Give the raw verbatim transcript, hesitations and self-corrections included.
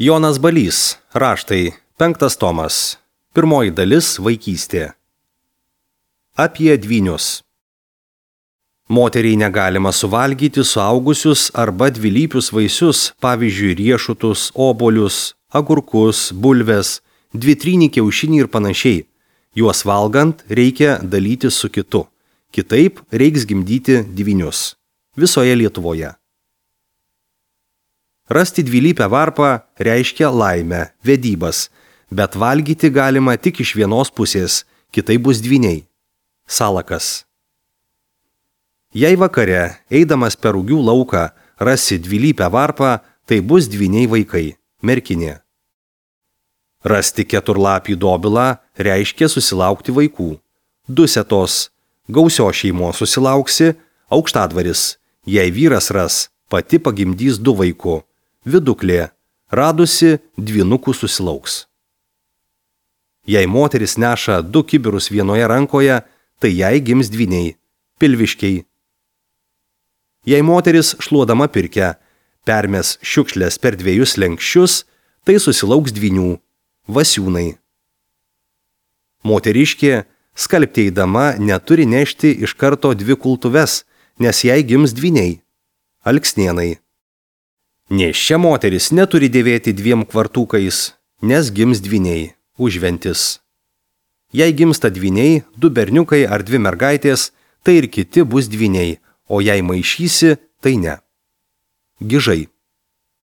Jonas Balys, raštai, penktas tomas, pirmoji dalis vaikystė. Apie dvynius. Moteriai negalima suvalgyti suaugusius arba dvilypius vaisius, pavyzdžiui, riešutus, obuolius, agurkus, bulves, dvitrynį kiaušinį ir panašiai. Juos valgant reikia dalytis su kitu. Kitaip reiks gimdyti dvynius. Visoje Lietuvoje. Rasti dvilypę varpą reiškia laimę, vedybas, bet valgyti galima tik iš vienos pusės, kitai bus dvyniai. Salakas. Jei vakare, eidamas per rugių lauką, rasi dvilypę varpą, tai bus dvyniai vaikai, merkinė. Rasti keturlapį dobilą reiškia susilaukti vaikų. Dusetos, gausios šeimos susilauksi, aukštadvaris, jei vyras ras, pati pagimdys du vaikų. Viduklė, radusi dvynukų susilauks. Jei moteris neša du kibirus vienoje rankoje, tai jai gims dvyniai, pilviškiai. Jei moteris šluodama pirkę permes šiukšlės per dviejus lenkščius, tai susilauks dvynių, vasiūnai. Moteriškė, skalbti eidama, neturi nešti iš karto dvi kultuves, nes jai gims dvyniai, alksnėnai. Nėščia moteris neturi dėvėti dviem kvartukais, nes gims dvyniai, užventis. Jei gimsta dvyniai, du berniukai ar dvi mergaitės, tai ir kiti bus dvyniai, o jei maišysi, tai ne. Gižai.